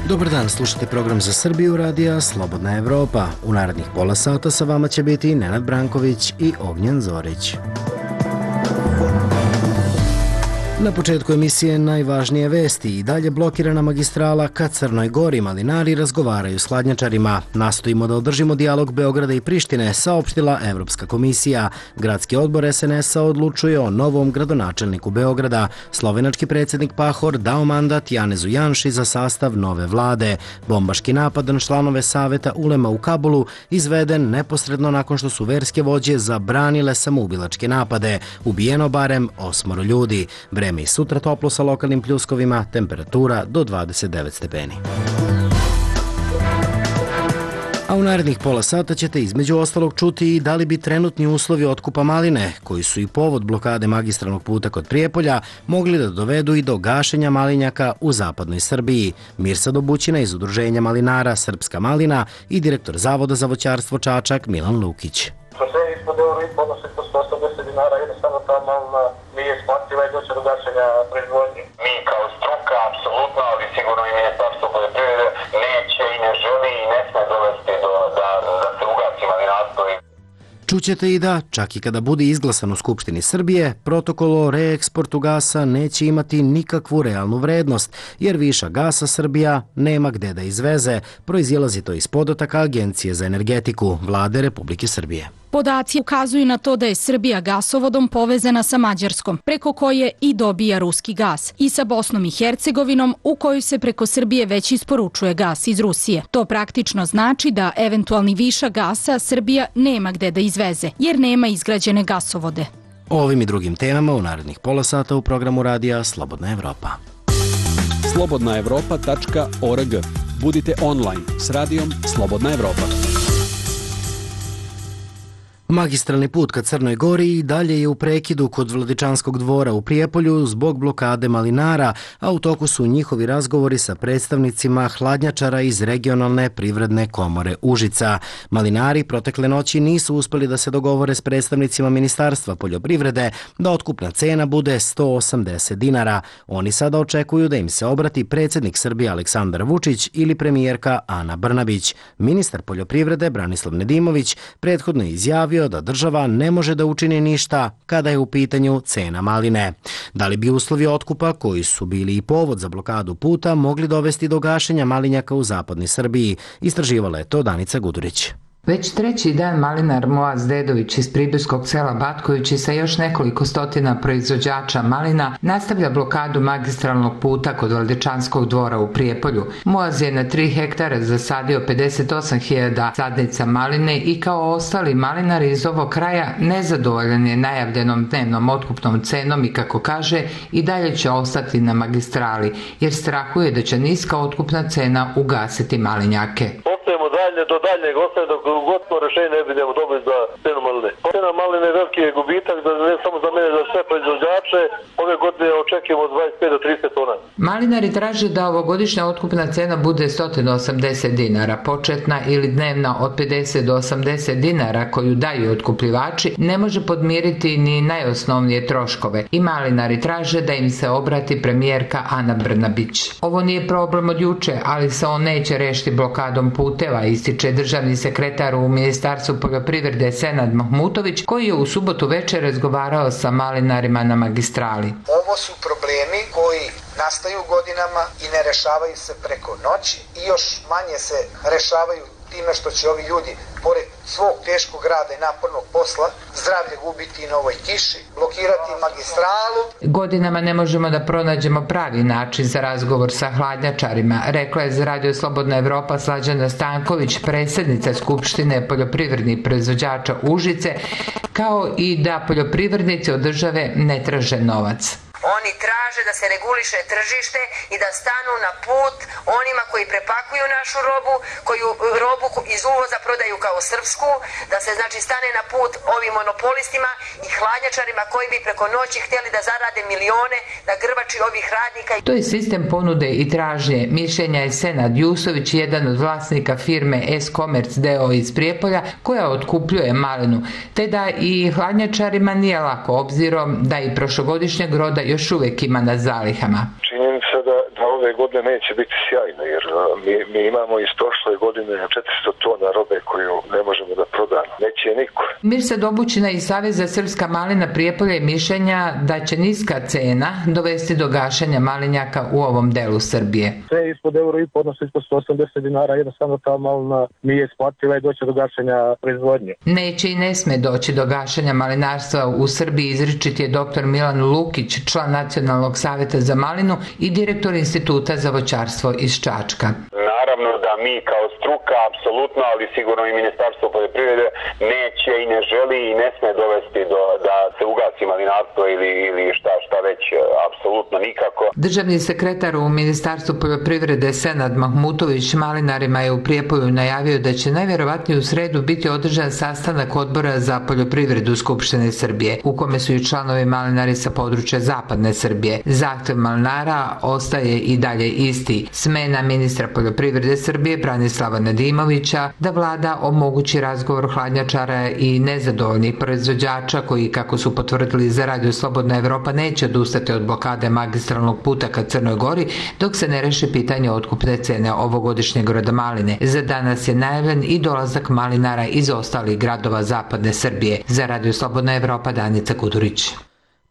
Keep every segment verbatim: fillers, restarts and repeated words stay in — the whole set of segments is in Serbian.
Dobar dan, slušate program za Srbiju radija Slobodna Evropa. U narednih pola sata sa vama će biti Nenad Branković i Ognjen Zorić. Na početku emisije najvažnije vesti. I dalje blokirana magistrala ka Crnoj Gori. Malinari razgovaraju s hladnjačarima. Nastojimo da održimo dijalog Beograda i Prištine, saopštila Evropska komisija. Gradski odbor es en es a odlučuje o novom gradonačelniku Beograda. Slovenački predsjednik Pahor dao mandat Janezu Janši za sastav nove vlade. Bombaški napad na članove Saveta ulema u Kabulu izveden neposredno nakon što su verske vođe zabranile samoubilačke napade. Ubijeno barem osmoro ljudi. Vreme i sutra toplo sa lokalnim pljuskovima, temperatura do dvadeset devet stepeni. A u narednih pola sata ćete između ostalog čuti i da li bi trenutni uslovi otkupa maline, koji su i povod blokade magistralnog puta kod Prijepolja, mogli da dovedu i do gašenja malinjaka u zapadnoj Srbiji. Mirsad Obućina iz Udruženja malinara Srpska malina i direktor Zavoda za voćarstvo Čačak Milan Lukić. Nije isplativa i doće do gašenja proizvodnje. Mi kao struka, apsolutno, ali sigurno i Ministarstvo poljoprivrede neće i ne želi i ne sme dovesti do, da, da se ugasi malinarstvo. Čućete i da, čak i kada bude izglasan u Skupštini Srbije, protokol o reeksportu gasa neće imati nikakvu realnu vrednost, jer viša gasa Srbija nema gde da izveze, proizilazi to iz podataka Agencije za energetiku Vlade Republike Srbije. Podaci ukazuju na to da je Srbija gasovodom povezana sa Mađarskom, preko koje i dobija ruski gas, i sa Bosnom i Hercegovinom, u kojoj se preko Srbije već isporučuje gas iz Rusije. To praktično znači da eventualni višak gasa Srbija nema gde da izveze, jer nema izgrađene gasovode. O ovim i drugim temama u narednih pola sata u programu radija Slobodna Evropa. slobodna evropa tačka org. Budite online s radijom Slobodna Evropa. Magistralni put ka Crnoj Gori i dalje je u prekidu kod Vladičanskog dvora u Prijepolju zbog blokade malinara, a u toku su njihovi razgovori sa predstavnicima hladnjačara iz regionalne privredne komore Užica. Malinari protekle noći nisu uspeli da se dogovore s predstavnicima Ministarstva poljoprivrede da otkupna cena bude sto osamdeset dinara. Oni sada očekuju da im se obrati predsjednik Srbije Aleksandar Vučić ili premijerka Ana Brnabić. Ministar poljoprivrede Branislav Nedimović prethodno je izjavio da država ne može da učini ništa kada je u pitanju cena maline. Da li bi uslovi otkupa, koji su bili i povod za blokadu puta, mogli dovesti do gašenja malinjaka u zapadnoj Srbiji? Istraživala je to Danica Gudurić. Već treći dan malinar Moaz Dedović iz pribojskog sela Batkovići sa još nekoliko stotina proizvođača malina nastavlja blokadu magistralnog puta kod Vladičanskog dvora u Prijepolju. Moaz je na tri hektara zasadio pedeset osam hiljada sadnica maline i kao ostali malinari iz ovog kraja nezadovoljan je najavljenom dnevnom otkupnom cenom i, kako kaže, i dalje će ostati na magistrali, jer strahuje da će niska otkupna cena ugasiti malinjake. Dalje, do daljnjeg ostaje dok ugotno rešenje ne budemo dobili za cenu maline. Cena maline je veliki gubitak, da ne samo za mene, za sve proizvođače. Ove godine očekujemo od dvadeset pet do trideset tona. Malinari traže da ovogodišnja otkupna cena bude sto osamdeset dinara. Početna ili dnevna od pedeset do osamdeset dinara koju daju otkupljivači ne može podmiriti ni najosnovnije troškove. I malinari traže da im se obrati premijerka Ana Brnabić. Ovo nije problem od juče, ali se on neće rešiti blokadom puteva, ističe državni sekretar u Ministarstvu poljoprivrede Senad Mahmutović, koji je u subotu večer razgovarao sa malinarima na magistrali. Ovo su problemi koji nastaju godinama i ne rešavaju se preko noći i još manje se rešavaju time što će ovi ljudi, pored svog teškog rada i napornog posla, zdravlje gubiti i na ovoj kiši, blokirati magistralu. Godinama ne možemo da pronađemo pravi način za razgovor sa hladnjačarima, rekla je za Radio Slobodna Evropa Slađana Stanković, predsjednica Skupštine poljoprivrednih proizvođača Užice, kao i da poljoprivrednici od države ne traže novac. Oni traže da se reguliše tržište i da stanu na put onima koji prepakuju našu robu, koju robu iz uvoza prodaju kao srpsku, da se znači stane na put ovim monopolistima i hladnjačarima koji bi preko noći htjeli da zarade milione na grbači ovih radnika. To je sistem ponude i tražnje. Mišljenja je Senad Jusović, jedan od vlasnika firme S-Commerce D O iz Prijepolja, koja otkupljuje malinu, te da i hladnjačarima nije lako, obzirom da i prošlogodišnjeg roda još uvek ima na zalihama. Činjenica da, da ove godine neće biti sjajno, jer mi, mi imamo iz prošle godine četiristo tona robe koju ne možemo da prodamo. Neće niko. Mirsa Dobućina iz Saveza Srpska malina Prijepolje je mišljenja da će niska cena dovesti do gašenja malinjaka u ovom delu Srbije. Sve ispod euro i po, odnosno ispod sto osamdeset dinara, jednostavno ta malina nije isplativa i doće do gašenja proizvodnje. Neće i ne sme doći do gašenja malinarstva u Srbiji, izričit je doktor Milan Lukić, član Nacionalnog saveta za malinu i direktor Instituta za voćarstvo iz Čačka. Naravno da mi kao struka, apsolutno, ali sigurno i Ministarstvo poljoprivrede neće i ne želi i ne sme dovesti do, da se ugasi malinarstvo ili, ili šta, šta već, apsolutno nikako. Državni sekretar u Ministarstvu poljoprivrede Senad Mahmutović malinarima je u Prijepolju najavio da će najvjerovatnije u sredu biti održan sastanak odbora za poljoprivredu Skupštine Srbije, u kome su i članovi malinari sa područja Zapadne Srbije. Zahtev malinara ostaje i dalje isti. Smena ministra poljoprivrede Srbije Branislava Nedimovića, da vlada omogući razgovor hladnjačara i nezadovoljnih proizvođača koji, kako su potvrdili za Radio Slobodna Evropa, neće odustati od blokade magistralnog puta ka Crnoj Gori dok se ne reši pitanje otkupne cene ovogodišnjeg roda maline. Za danas je najavljen i dolazak malinara iz ostalih gradova Zapadne Srbije. Za Radio Slobodna Evropa, Danica Kudurić.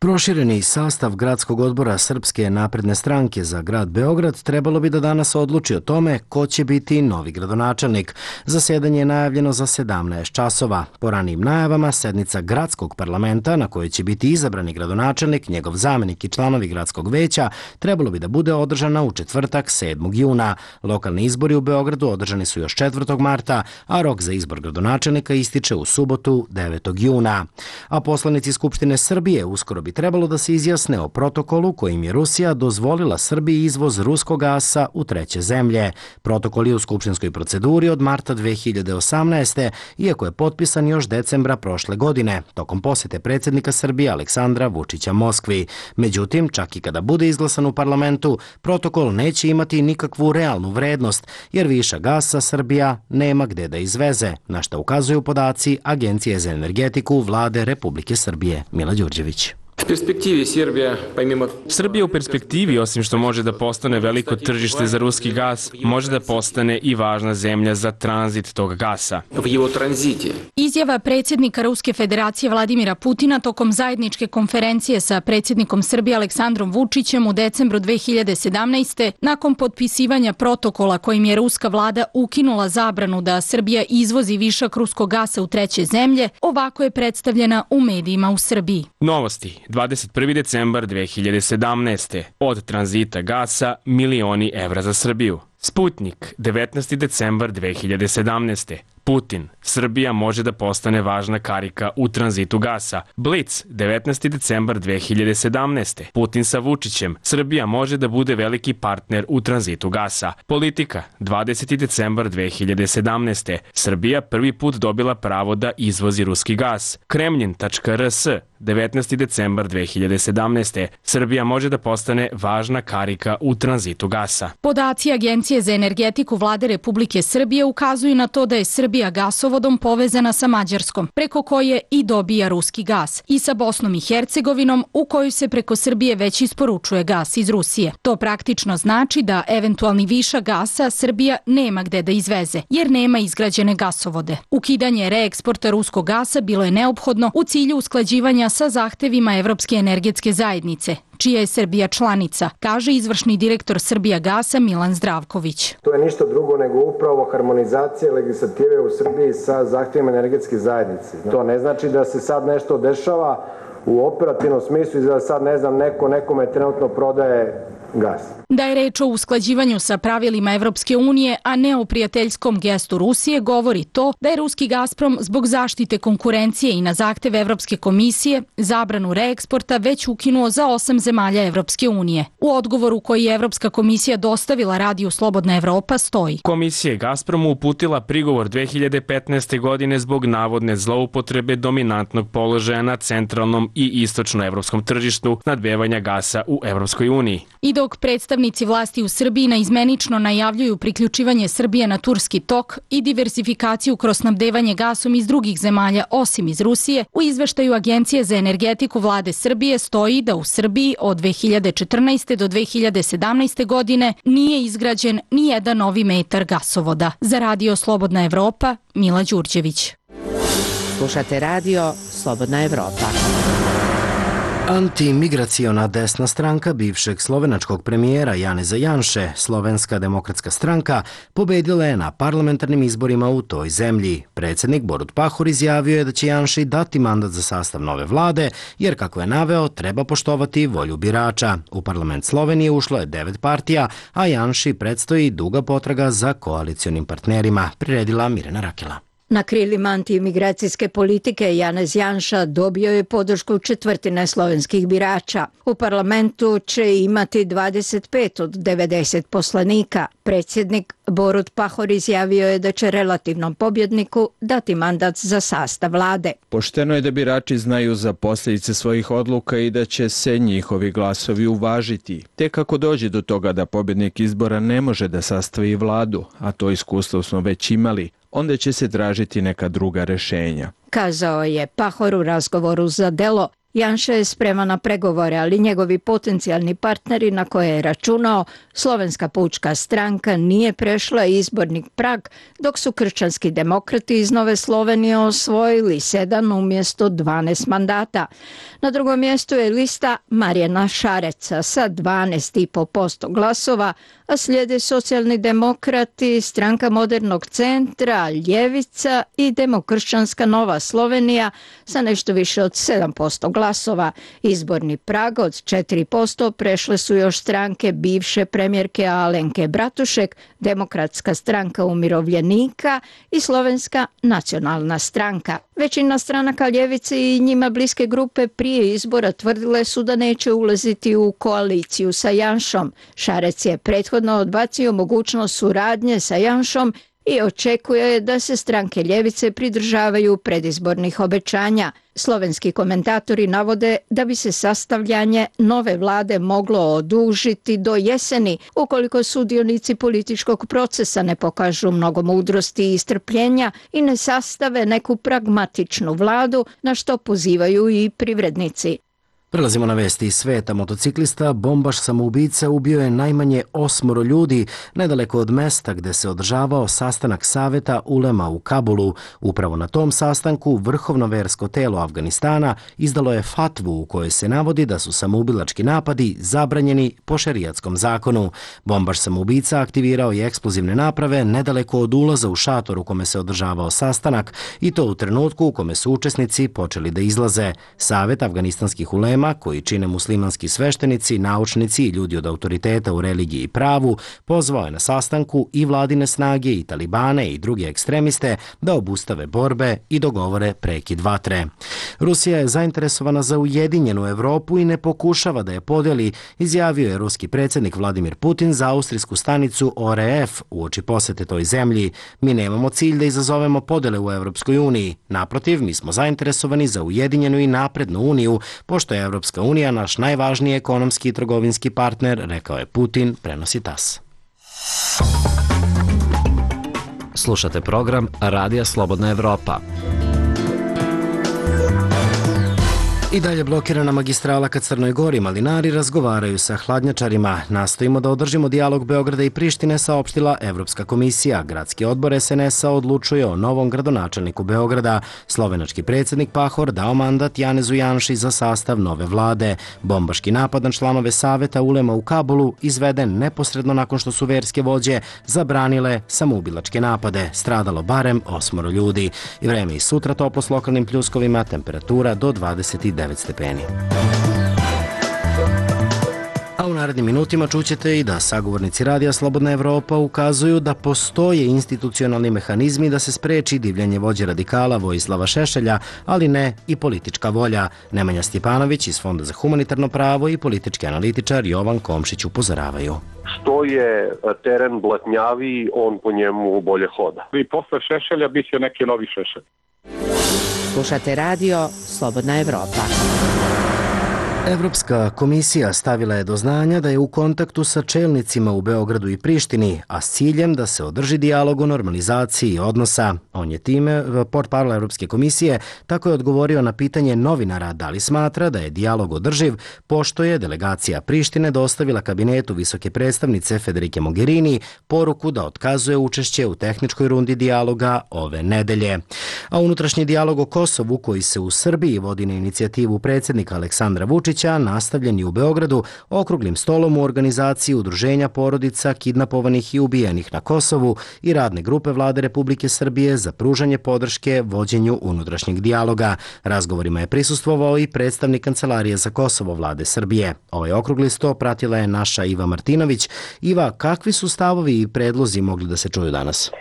Prošireni sastav gradskog odbora Srpske napredne stranke za grad Beograd trebalo bi da danas odluči o tome ko će biti novi gradonačelnik. Zasjedanje je najavljeno za sedamnaest časova. Po ranijim najavama, sednica gradskog parlamenta na kojoj će biti izabrani gradonačelnik, njegov zamenik i članovi gradskog veća trebalo bi da bude održana u četvrtak sedmog juna. Lokalni izbori u Beogradu održani su još četvrtog marta, a rok za izbor gradonačelnika ističe u subotu devetog juna. A poslanici Skupštine Srbije uskoro bi trebalo da se izjasne o protokolu kojim je Rusija dozvolila Srbiji izvoz ruskog gasa u treće zemlje. Protokol je u skupštinskoj proceduri od marta dve hiljade osamnaeste. iako je potpisan još decembra prošle godine, tokom posete predsjednika Srbije Aleksandra Vučića Moskvi. Međutim, čak i kada bude izglasan u parlamentu, protokol neće imati nikakvu realnu vrednost, jer višak gasa Srbija nema gde da izveze, na što ukazuju podaci Agencije za energetiku Vlade Republike Srbije. Mila Đurđević. Srbija u perspektivi, osim što može da postane veliko tržište za ruski gas, može da postane i važna zemlja za tranzit tog gasa. Izjava predsjednika Ruske federacije Vladimira Putina tokom zajedničke konferencije sa predsjednikom Srbije Aleksandrom Vučićem u decembru dve hiljade sedamnaeste. nakon potpisivanja protokola kojim je ruska vlada ukinula zabranu da Srbija izvozi višak ruskog gasa u treće zemlje, ovako je predstavljena u medijima u Srbiji. Novosti. dvadeset prvi decembar dve hiljade sedamnaeste. Od tranzita gasa milioni evra za Srbiju. Sputnik, devetnaesti decembar dve hiljade sedamnaeste. Putin, Srbija može da postane važna karika u tranzitu gasa. Blic, devetnaesti decembar dve hiljade sedamnaeste. Putin sa Vučićem, Srbija može da bude veliki partner u tranzitu gasa. Politika, dvadeseti decembar dve hiljade sedamnaeste. Srbija prvi put dobila pravo da izvozi ruski gas. Kremlin tačka r s, devetnaesti decembar dve hiljade sedamnaeste. Srbija može da postane važna karika u tranzitu gasa. Podaci Agencije za energetiku Vlade Republike Srbije ukazuju na to da je Srbija gasovodom povezana sa Mađarskom, preko koje i dobija ruski gas, i sa Bosnom i Hercegovinom, u koju se preko Srbije već isporučuje gas iz Rusije. To praktično znači da eventualni višak gasa Srbija nema gde da izveze, jer nema izgrađene gasovode. Ukidanje reeksporta ruskog gasa bilo je neophodno u cilju usklađivanja sa zahtevima Evropske energetske zajednice, čija je Srbija članica, kaže izvršni direktor Srbijagasa Milan Zdravković. To je ništa drugo nego upravo harmonizacija legislative u Srbiji sa zahtjevima energetske zajednice. To ne znači da se sad nešto dešava u operativnom smislu i da sad, ne znam, neko nekome trenutno prodaje gas. Da je reč o usklađivanju sa pravilima Evropske unije, a ne o prijateljskom gestu Rusije, govori to da je ruski Gazprom zbog zaštite konkurencije i na zahtev Evropske komisije zabranu reeksporta već ukinuo za osam zemalja Evropske unije. U odgovoru koji je Evropska komisija dostavila Radiju Slobodna Evropa stoji: Komisija je Gazpromu uputila prigovor dve hiljade petnaeste. godine zbog navodne zloupotrebe dominantnog položaja na centralnom i istočnoevropskom tržištu snabdevanja gasa u Evropskoj uniji. I dok predstavnici vlasti u Srbiji naizmenično najavljuju priključivanje Srbije na turski tok i diversifikaciju kroz snabdevanje gasom iz drugih zemalja osim iz Rusije, u izveštaju Agencije za energetiku vlade Srbije stoji da u Srbiji od dve hiljade četrnaeste. do dve hiljade sedamnaeste. godine nije izgrađen ni jedan novi metar gasovoda. Za Radio Slobodna Evropa, Mila Đurđević. Slušate radio Slobodna Evropa. Antimigraciona desna stranka bivšeg slovenačkog premijera Janeza Janše, Slovenska demokratska stranka, pobedila je na parlamentarnim izborima u toj zemlji. Predsjednik Borut Pahor izjavio je da će Janši dati mandat za sastav nove vlade, jer kako je naveo, treba poštovati volju birača. U parlament Slovenije ušlo je devet partija, a Janši predstoji duga potraga za koalicionim partnerima, priredila Mirjana Rakela. Na krilima antimigracijske politike Janez Janša dobio je podršku četvrtine slovenskih birača. U parlamentu će imati dvadeset pet od devedeset poslanika. Predsjednik Borut Pahor izjavio je da će relativnom pobjedniku dati mandat za sastav vlade. Pošteno je da birači znaju za posljedice svojih odluka i da će se njihovi glasovi uvažiti. Tek ako dođe do toga da pobjednik izbora ne može da sastavi vladu, a to iskustvo smo već imali, onda će se tražiti neka druga rešenja. Kazao je Pahor u razgovoru za Delo. Janša je spreman na pregovore, ali njegovi potencijalni partneri na koje je računao, Slovenska pučka stranka, nije prešla izborni prag, dok su kršćanski demokrati iz Nove Slovenije osvojili sedam umjesto dvanaest mandata. Na drugom mjestu je lista Marijana Šareca sa dvanaest zarez pet posto glasova, a slijede socijalni demokrati, stranka Modernog centra, Ljevica i Demokršćanska Nova Slovenija sa nešto više od sedam posto glasova. Izborni prag od četiri posto prešle su još stranke bivše premijerke Alenke Bratušek, Demokratska stranka umirovljenika i Slovenska nacionalna stranka. Većina stranaka ljevice i njima bliske grupe prije izbora tvrdile su da neće ulaziti u koaliciju sa Janšom. Šarec je prethodno odbacio mogućnost suradnje sa Janšom i očekuje da se stranke ljevice pridržavaju predizbornih obećanja. Slovenski komentatori navode da bi se sastavljanje nove vlade moglo odužiti do jeseni ukoliko sudionici političkog procesa ne pokažu mnogo mudrosti i strpljenja i ne sastave neku pragmatičnu vladu, na što pozivaju i privrednici. Prelazimo na vesti iz sveta. Motociklista, bombaš samoubica, ubio je najmanje osmoro ljudi nedaleko od mesta gde se održavao sastanak Saveta ulema u Kabulu. Upravo na tom sastanku vrhovno versko telo Afganistana izdalo je fatvu u kojoj se navodi da su samoubilački napadi zabranjeni po šerijatskom zakonu. Bombaš samoubica aktivirao je eksplozivne naprave nedaleko od ulaza u šator u kome se održavao sastanak i to u trenutku u kome su učesnici počeli da izlaze. Savet afganistanskih ulema, koji čine muslimanski sveštenici, naučnici i ljudi od autoriteta u religiji i pravu, pozvao je na sastanku i vladine snage i talibane i druge ekstremiste da obustave borbe i dogovore prekid vatre. Rusija je zainteresovana za ujedinjenu Evropu i ne pokušava da je podeli, izjavio je ruski predsjednik Vladimir Putin za austrijsku stanicu O R F uoči posete toj zemlji. Mi nemamo cilj da izazovemo podele u Evropskoj uniji. Naprotiv, mi smo zainteresovani za ujedinjenu i naprednu uniju, pošto je Evropska unija naš najvažniji ekonomski i trgovinski partner, rekao je Putin, prenosi T A S. Slušate program Radija Slobodna Evropa. I dalje blokirana magistrala ka Crnoj Gori, malinari razgovaraju sa hladnjačarima. Nastojimo da održimo dijalog Beograda i Prištine, saopštila Evropska komisija. Gradski odbor S N S-a odlučuje o novom gradonačelniku Beograda. Slovenački predsjednik Pahor dao mandat Janezu Janši za sastav nove vlade. Bombaški napad na članove Saveta ulema u Kabulu izveden neposredno nakon što su verske vođe zabranile samoubilačke napade. Stradalo barem osmoro ljudi. I vreme i sutra toplo s lokalnim pljuskovima, temperatura do dvadeset devet stepeni. A u narednim minutima čućete i da sagovornici Radija Slobodna Evropa ukazuju da postoje institucionalni mehanizmi da se spreči divljanje vođe radikala Vojislava Šešelja, ali ne i politička volja. Nemanja Stjepanović iz Fonda za humanitarno pravo i politički analitičar Jovan Komšić upozoravaju. Što je teren blatnjaviji, on po njemu bolje hoda. I posle Šešelja bit će neki novi Šešelj. Slušate radio Slobodna Evropa. Evropska komisija stavila je do znanja da je u kontaktu sa čelnicima u Beogradu i Prištini, a s ciljem da se održi dijalog o normalizaciji odnosa. On je time, portparol Evropske komisije, tako je odgovorio na pitanje novinara da li smatra da je dijalog održiv, pošto je delegacija Prištine dostavila kabinetu visoke predstavnice Federike Mogherini poruku da otkazuje učešće u tehničkoj rundi dijaloga ove nedelje. A unutrašnji dijalog o Kosovu, koji se u Srbiji vodi na inicijativu predsjednika Aleksandra Vučića, nastavljen je u Beogradu okruglim stolom u organizaciji Udruženja porodica kidnapovanih i ubijenih na Kosovu i radne grupe Vlade Republike Srbije za pružanje podrške vođenju unutrašnjeg dijaloga. Razgovorima je prisustvovao i predstavnik Kancelarije za Kosovo Vlade Srbije. Ovaj okrugli sto pratila je naša Iva Martinović. Iva, kakvi su stavovi i predlozi mogli da se čuju danas?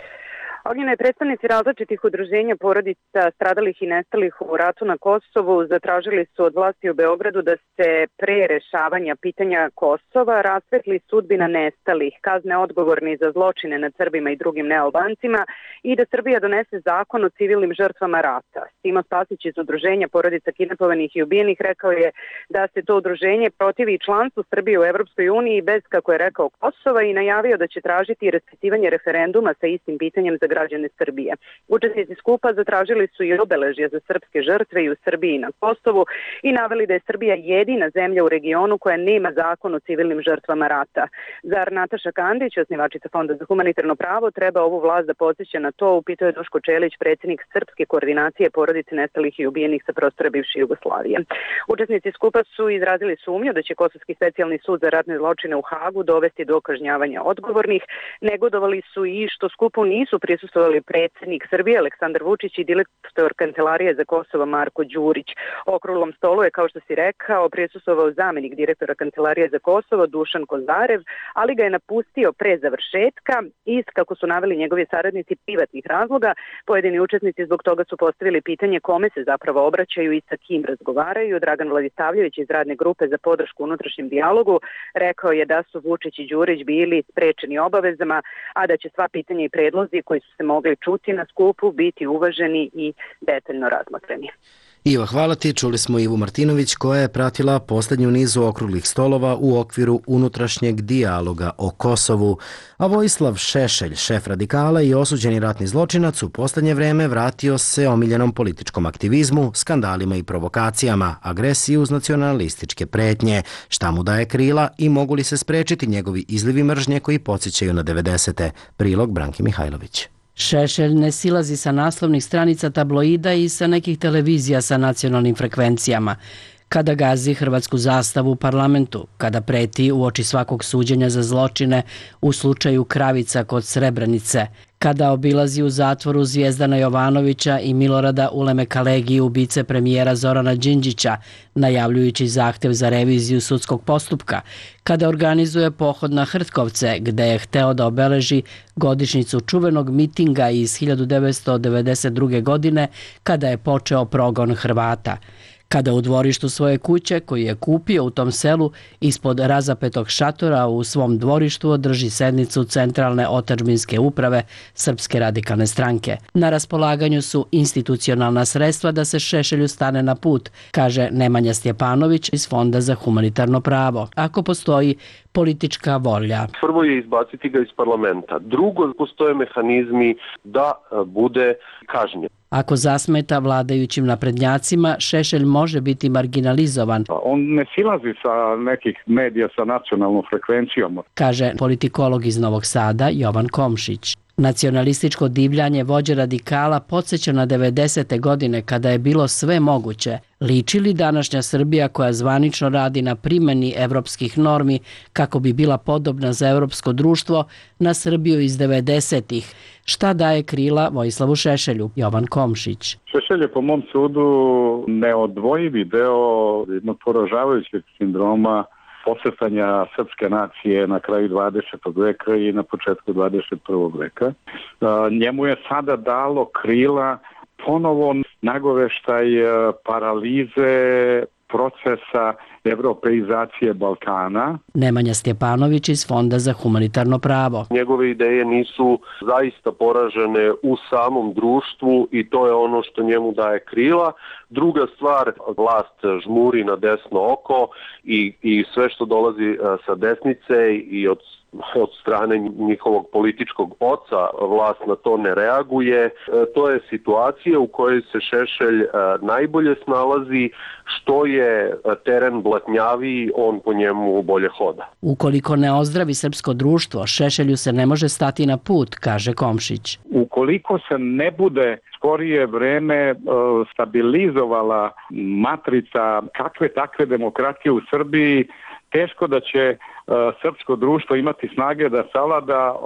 Ognjene predstavnici različitih udruženja porodica stradalih i nestalih u ratu na Kosovu zatražili su od vlasti u Beogradu da se pre rešavanja pitanja Kosova rasvetli sudbina nestalih, kazne odgovorni za zločine nad Srbima i drugim nealbancima i da Srbija donese zakon o civilnim žrtvama rata. Simo Spasić iz udruženja porodica kidnapovanih i ubijenih rekao je da se to udruženje protivi članstvu Srbije u Evropskoj uniji bez, kako je rekao, Kosova i najavio da će tražiti raspisivanje referenduma sa istim pitanjem za građane Srbije. Učesnici skupa zatražili su i obeležja za srpske žrtve i u Srbiji i na Kosovu i naveli da je Srbija jedina zemlja u regionu koja nema zakon o civilnim žrtvama rata. Zar Nataša Kandić, osnivačica Fonda za humanitarno pravo, treba ovu vlast da podsjeća na to, upitao je Duško Čelić, predsjednik Srpske koordinacije porodice nestalih i ubijenih sa prostora bivše Jugoslavije. Učesnici skupa su izrazili sumnju da će Kosovski specijalni sud za ratne zločine u Hagu dovesti do kažnjavanja odgovornih. Negodovali su i što skupu nisu prisustvovali predsjednik Srbije Aleksandar Vučić i direktor Kancelarije za Kosovo Marko Đurić. Okruglom stolu je, kao što si rekao, prisustvovao zamjenik direktora Kancelarije za Kosovo Dušan Kozarev, ali ga je napustio pre završetka iz, kako su naveli njegovi saradnici, privatnih razloga. Pojedini učesnici zbog toga su postavili pitanje kome se zapravo obraćaju i sa kim razgovaraju. Dragan Vladisavljević iz radne grupe za podršku unutrašnjem dijalogu rekao je da su Vučić i Đurić bili sprečeni obavezama, a da će sva pitanja i predlozi koji su se mogli čuti na skupu biti uvaženi i detaljno razmotreni. Iva, hvala ti. Čuli smo Ivu Martinović koja je pratila posljednju nizu okruglih stolova u okviru unutrašnjeg dijaloga o Kosovu. A Vojislav Šešelj, šef radikala i osuđeni ratni zločinac, u posljednje vreme vratio se omiljenom političkom aktivizmu, skandalima i provokacijama, agresiji uz nacionalističke pretnje. Šta mu daje krila i mogu li se sprečiti njegovi izlivi mržnje koji podsjećaju na devedesete? Prilog Branki Mihajlović. Šešelj ne silazi sa naslovnih stranica tabloida i sa nekih televizija sa nacionalnim frekvencijama. Kada gazi hrvatsku zastavu u parlamentu, kada preti u oči svakog suđenja za zločine u slučaju Kravica kod Srebrenice, kada obilazi u zatvoru Zvijezdana Jovanovića i Milorada Uleme Kalegi, ubice premijera Zorana Đinđića, najavljujući zahtev za reviziju sudskog postupka, kada organizuje pohod na Hrtkovce, gde je hteo da obeleži godišnjicu čuvenog mitinga iz hiljadu devetsto devedeset druge. godine, kada je počeo progon Hrvata, kada u dvorištu svoje kuće, koju je kupio u tom selu, ispod razapetog šatora u svom dvorištu održi sednicu Centralne otadžbinske uprave Srpske radikalne stranke. Na raspolaganju su institucionalna sredstva da se Šešelju stane na put, kaže Nemanja Stjepanović iz Fonda za humanitarno pravo, ako postoji politička volja. Prvo je izbaciti ga iz parlamenta. Drugo, postoje mehanizmi da bude kažnjen. Ako zasmeta vladajućim naprednjacima, Šešelj može biti marginalizovan. On ne silazi sa nekih medija sa nacionalnom frekvencijom, kaže politikolog iz Novog Sada Jovan Komšić. Nacionalističko divljanje vođe radikala podsjeća na devedesete. godine kada je bilo sve moguće. Liči li današnja Srbija koja zvanično radi na primjeni evropskih normi kako bi bila podobna za evropsko društvo na Srbiju iz devedesetih? Šta daje krila Vojislavu Šešelju? Jovan Komšić. Šešelj je po mom sudu neodvojivi deo jednog poražavajućeg sindroma posjetanja srpske nacije na kraju dvadesetog veka i na početku dvadeset prvog veka. Njemu je sada dalo krila ponovo nagoveštaj paralize procesa evropeizacije Balkana. Nemanja Stjepanović iz Fonda za humanitarno pravo. Njegove ideje nisu zaista poražene u samom društvu i to je ono što njemu daje krila. Druga stvar, vlast žmuri na desno oko i, i sve što dolazi sa desnice i od od strane njihovog političkog oca vlast na to ne reaguje. To je situacija u kojoj se Šešelj najbolje snalazi, što je teren blatnjaviji, on po njemu bolje hoda. Ukoliko ne ozdravi srpsko društvo, Šešelju se ne može stati na put, kaže Komšić. Ukoliko se ne bude skorije vreme stabilizovala matrica kakve takve demokratije u Srbiji, teško da će srpsko društvo imati snage da savlada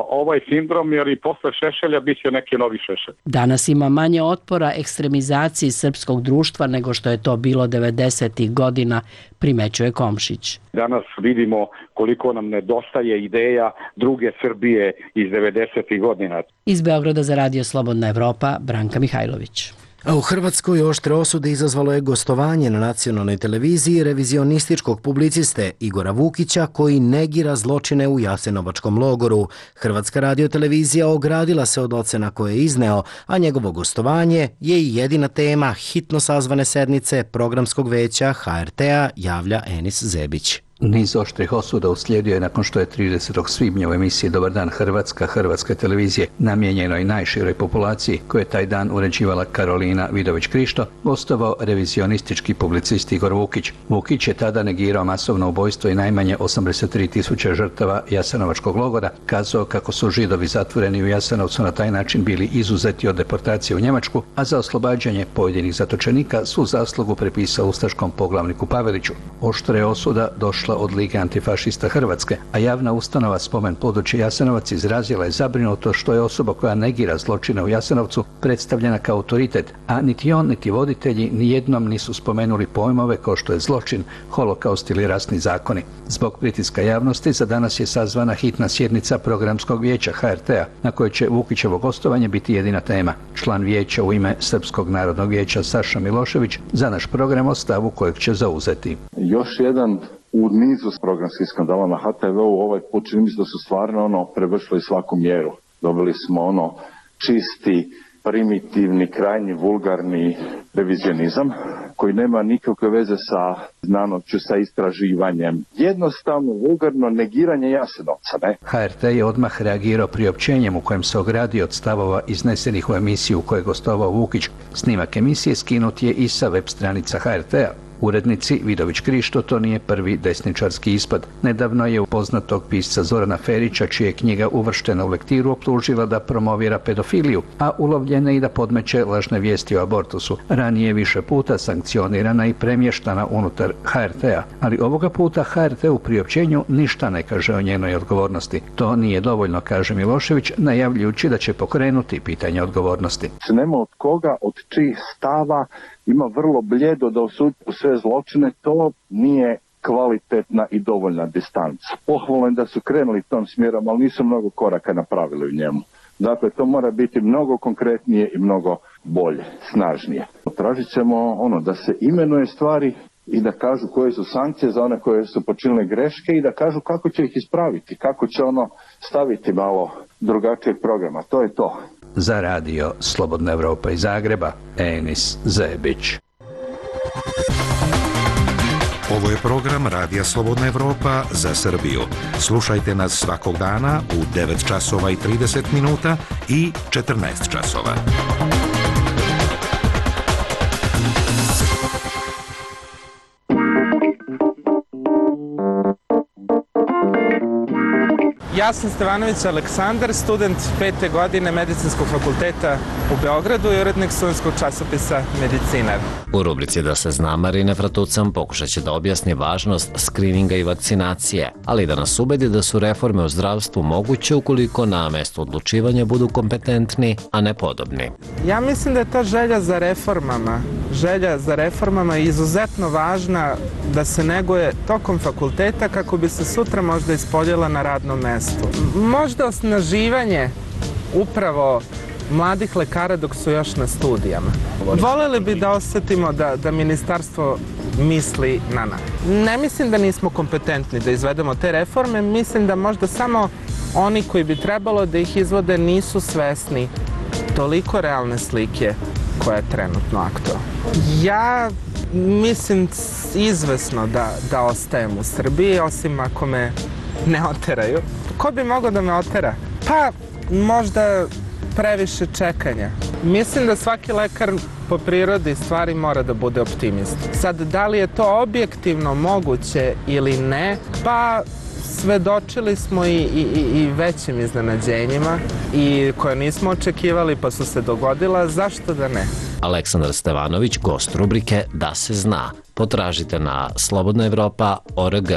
ovaj sindrom, jer i posle Šešelja bit će neki novi Šešelj. Danas ima manje otpora ekstremizaciji srpskog društva nego što je to bilo devedesetih godina, primećuje Komšić. Danas vidimo koliko nam nedostaje ideja druge Srbije iz devedesetih godina. Iz Beograda za Radio Slobodna Evropa, Branka Mihajlović. A u Hrvatskoj oštre osude izazvalo je gostovanje na nacionalnoj televiziji revizionističkog publiciste Igora Vukića koji negira zločine u Jasenovačkom logoru. Hrvatska radiotelevizija ogradila se od ocena koje je izneo, a njegovo gostovanje je i jedina tema hitno sazvane sednice programskog veća H R T-a, javlja Enis Zebić. Niz oštrih osuda uslijedio je nakon što je tridesetog svibnja u emisiji Dobar dan Hrvatska Hrvatske televizije namijenjenoj najširoj populaciji koje je taj dan uređivala Karolina Vidović-Krišto gostovao revizionistički publicist Igor Vukić. Vukić je tada negirao masovno ubojstvo i najmanje osamdeset tri tisuće žrtava Jasenovačkog logora, kazao kako su Židovi zatvoreni u Jasenovcu na taj način bili izuzeti od deportacije u Njemačku, a za oslobađanje pojedinih zatočenika su zaslugu prepisao ustaškom poglavniku Paveliću. Oštre osuda došla od Lige antifašista Hrvatske, a javna ustanova Spomen područje Jasenovac izrazila je zabrinuto što je osoba koja negira zločine u Jasenovcu predstavljena kao autoritet, a niti on niti voditelji nijednom nisu spomenuli pojmove kao što je zločin, holokaust ili rasni zakoni. Zbog pritiska javnosti za danas je sazvana hitna sjednica programskog vijeća H R T-a na kojoj će Vukićevo gostovanje biti jedina tema. Član vijeća u ime Srpskog narodnog vijeća Saša Milošević za naš program o stavu kojeg će zauzeti. Još jedan u nizu programskih skandala na H T V-u ovaj put čini mi se da su stvarno ono prevršili svaku mjeru. Dobili smo ono čisti, primitivni, krajnji, vulgarni revizionizam koji nema nikakve veze sa znanošću, sa istraživanjem. Jednostavno, vulgarno negiranje Jasenovca, ne? H R T je odmah reagirao priopćenjem u kojem se ogradio od stavova iznesenih u emisiju u kojoj je gostovao Vukić. Snimak emisije skinut je i sa web stranica H R T-a. Urednici Vidović-Krišto to nije prvi desničarski ispad. Nedavno je upoznatog pisca Zorana Ferića, čija je knjiga uvrštena u lektiru, optužila da promovira pedofiliju, a ulovljena i da podmeće lažne vijesti o abortusu. Ranije više puta sankcionirana i premještana unutar H R T-a, ali ovoga puta H R T u priopćenju ništa ne kaže o njenoj odgovornosti. To nije dovoljno, kaže Milošević, najavljujući da će pokrenuti pitanje odgovornosti. Nema od koga, od čijih stava ima vrlo bljedo da osudi sve zločine, to nije kvalitetna i dovoljna distanca. Pohvalno je da su krenuli tom smjerom, ali nisu mnogo koraka napravili u njemu. Dakle, to mora biti mnogo konkretnije i mnogo bolje, snažnije. Tražit ćemo ono da se imenuje stvari i da kažu koje su sankcije za one koje su počinile greške i da kažu kako će ih ispraviti, kako će ono staviti malo drugačijeg programa. To je to. Za radio Slobodna Evropa iz Zagreba, Enis Zebić. Ovo je program Radija Slobodna Evropa za Srbiju. Slušajte nas svakog dana u devet časova i trideset minuta i četrnaest časova. Ja sam Stevanović Aleksandar, student pete godine Medicinskog fakulteta u Beogradu i urednik studentskog časopisa Medicinar. U rubrici Da se zna, Marina Fratucam pokušat će da objasni važnost skrininga i vakcinacije, ali i da nas ubedi da su reforme u zdravstvu moguće ukoliko na mestu odlučivanja budu kompetentni, a ne podobni. Ja mislim da je ta želja za reformama, želja za reformama je izuzetno važna da se neguje tokom fakulteta kako bi se sutra možda ispoljila na radnom mestu. Možda osnaživanje upravo mladih lekara dok su još na studijama. Voleli bi da osetimo da, da ministarstvo misli na nas. Ne mislim da nismo kompetentni da izvedemo te reforme, mislim da možda samo oni koji bi trebalo da ih izvode nisu svesni toliko realne slike koja je trenutno aktualna. Ja mislim izvesno da, da ostajem u Srbiji, osim ako me ne oteraju. Ko bi mogao da me otera? Pa možda previše čekanja. Mislim da svaki lekar po prirodi stvari mora da bude optimist. Sad, da li je to objektivno moguće ili ne, pa svedočili smo i, i, i većim iznenađenjima i koje nismo očekivali pa su se dogodila, zašto da ne? Aleksandar Stevanović, gost rubrike Da se zna. Potražite na slobodna evropa tačka org.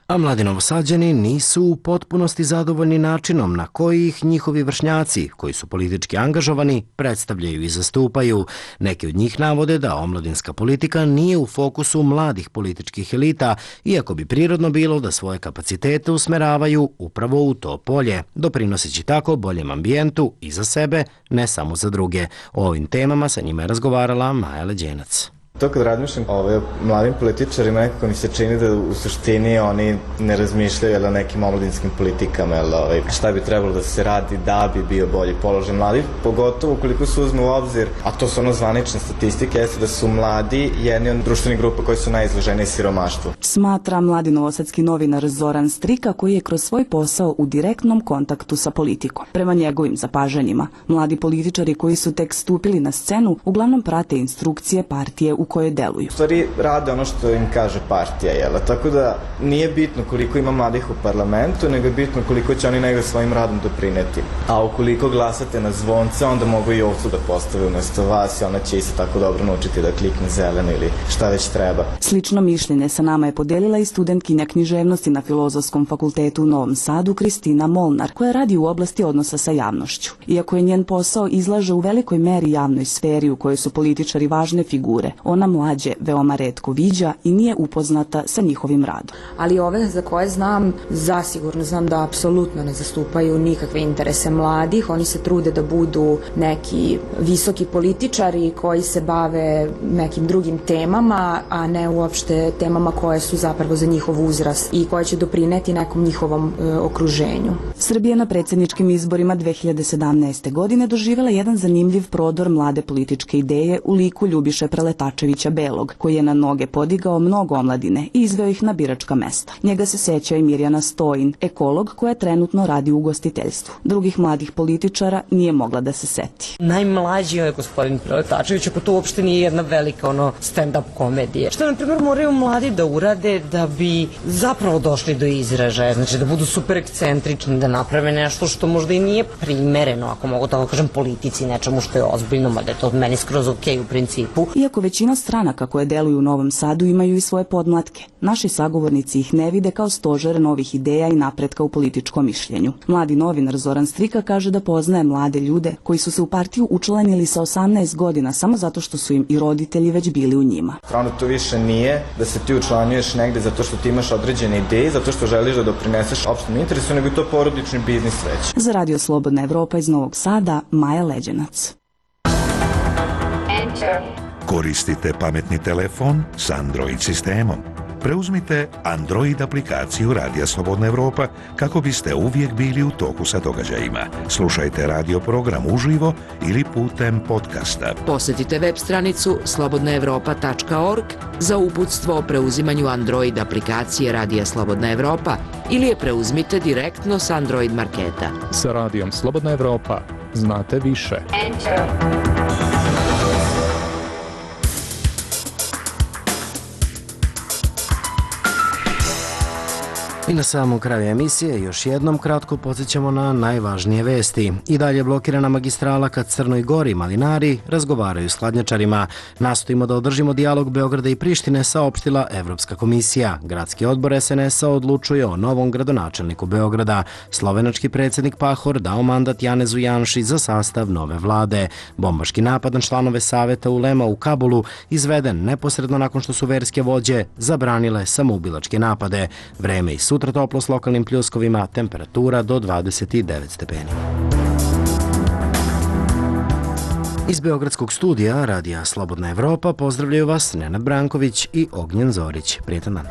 A mladi Novosađani nisu u potpunosti zadovoljni načinom na koji ih njihovi vršnjaci, koji su politički angažovani, predstavljaju i zastupaju. Neki od njih navode da omladinska politika nije u fokusu mladih političkih elita, iako bi prirodno bilo da svoje kapacitete usmeravaju upravo u to polje, doprinoseći tako boljem ambijentu i za sebe, ne samo za druge. O ovim temama sa njima je razgovarala Maja Leđenac. To kad razmišljam o mladim političarima, nekako mi se čini da u suštini oni ne razmišljaju o nekim omladinskim politikama, ovaj, šta bi trebalo da se radi da bi bio bolji položaj mladih, pogotovo ukoliko se uzme u obzir, a to su ono zvanične statistike, jeste da su mladi jedni od društvenih grupa koji su najizloženiji siromaštvu. Smatra mladi novosadski novinar Zoran Strika, koji je kroz svoj posao u direktnom kontaktu sa politikom. Prema njegovim zapažanjima, mladi političari koji su tek stupili na scenu uglavnom prate instrukcije partije u koje deluju. U stvari rade ono što im kaže partija, jel? Tako da nije bitno koliko ima mladih u parlamentu, nego je bitno koliko će oni nego svojim radom doprineti. A ukoliko glasate na zvonce, onda mogu i ovcu da postave umesto vas i ona će isto tako dobro naučiti da klikne zeleno ili šta već treba. Slično mišljenje sa nama je podelila i studentkinja književnosti na Filozofskom fakultetu u Novom Sadu Kristina Molnar, koja radi u oblasti odnosa sa javnošću. Iako je njen posao izlaže u velikoj meri javnoj sferi u kojoj su političari važne figure, ona mlađe veoma retko viđa i nije upoznata sa njihovim radom. Ali ove za koje znam, zasigurno znam da apsolutno ne zastupaju nikakve interese mladih. Oni se trude da budu neki visoki političari koji se bave nekim drugim temama, a ne uopšte temama koje su zapravo za njihov uzrast i koje će doprineti nekom njihovom e, okruženju. Srbija na predsjedničkim izborima dve hiljade sedamnaeste. godine doživjela jedan zanimljiv prodor mlade političke ideje u liku Ljubiše Preletačevića Belog, koji je na noge podigao mnogo omladine i izveo ih na biračka mesta. Njega se seća i Mirjana Stojin, ekolog koja trenutno radi u ugostiteljstvu. Drugih mladih političara nije mogla da se seti. Najmlađi je gospodin Preletačević, ako to uopšte nije jedna velika ono stand-up komedija. Što, na primjer, moraju mladi da urade da bi zapravo došli do izražaja, znači da budu super ekscentrični, da naprave nešto što možda i nije primereno, ako mogu tako kažem, politici, nečemu što je ozbiljno, mada je to meni skroz okej u principu. Iako većina stranaka koje deluju u Novom Sadu imaju i svoje podmlatke, naši sagovornici ih ne vide kao stožer novih ideja i napretka u političkom mišljenju. Mladi novinar Zoran Strika kaže da poznaje mlade ljude koji su se u partiju učlanili sa osamnaest godina samo zato što su im i roditelji već bili u njima. Stvarno to više nije da se ti učlanjuješ negde zato što ti imaš određene ideje, zato što želiš da doprineseš opštem interesu, nego je to porodični biznis već. Za Radio Slobodna Evropa iz Novog Sada, Maja Leđenac. Koristite pametni telefon s Android sistemom. Preuzmite Android aplikaciju Radija Slobodna Evropa kako biste uvijek bili u toku sa događajima. Slušajte radio program uživo ili putem podcasta. Posjetite web stranicu slobodna evropa tačka org za uputstvo o preuzimanju Android aplikacije Radija Slobodna Evropa ili je preuzmite direktno s Android marketa. Sa Radijom Slobodna Evropa znate više. Enter. I na samom kraju emisije još jednom kratko podsjećamo na najvažnije vesti. I dalje blokirana magistrala ka Crnoj Gori, Malinari razgovaraju s hladnjačarima. Nastojimo da održimo dijalog Beograda i Prištine, saopštila Evropska komisija. Gradski odbor es en es a odlučuje o novom gradonačelniku Beograda. Slovenački predsjednik Pahor dao mandat Janezu Janši za sastav nove vlade. Bombaški napad na članove saveta ulema u Kabulu izveden neposredno nakon što su verske vođe zabranile samoubilačke napade. Vreme i sutra toplo s lokalnim pljuskovima, temperatura do dvadeset devet stepeni. Iz Beogradskog studija Radija Slobodna Evropa pozdravljaju vas Nenad Branković i Ognjen Zorić. Prijetan dan.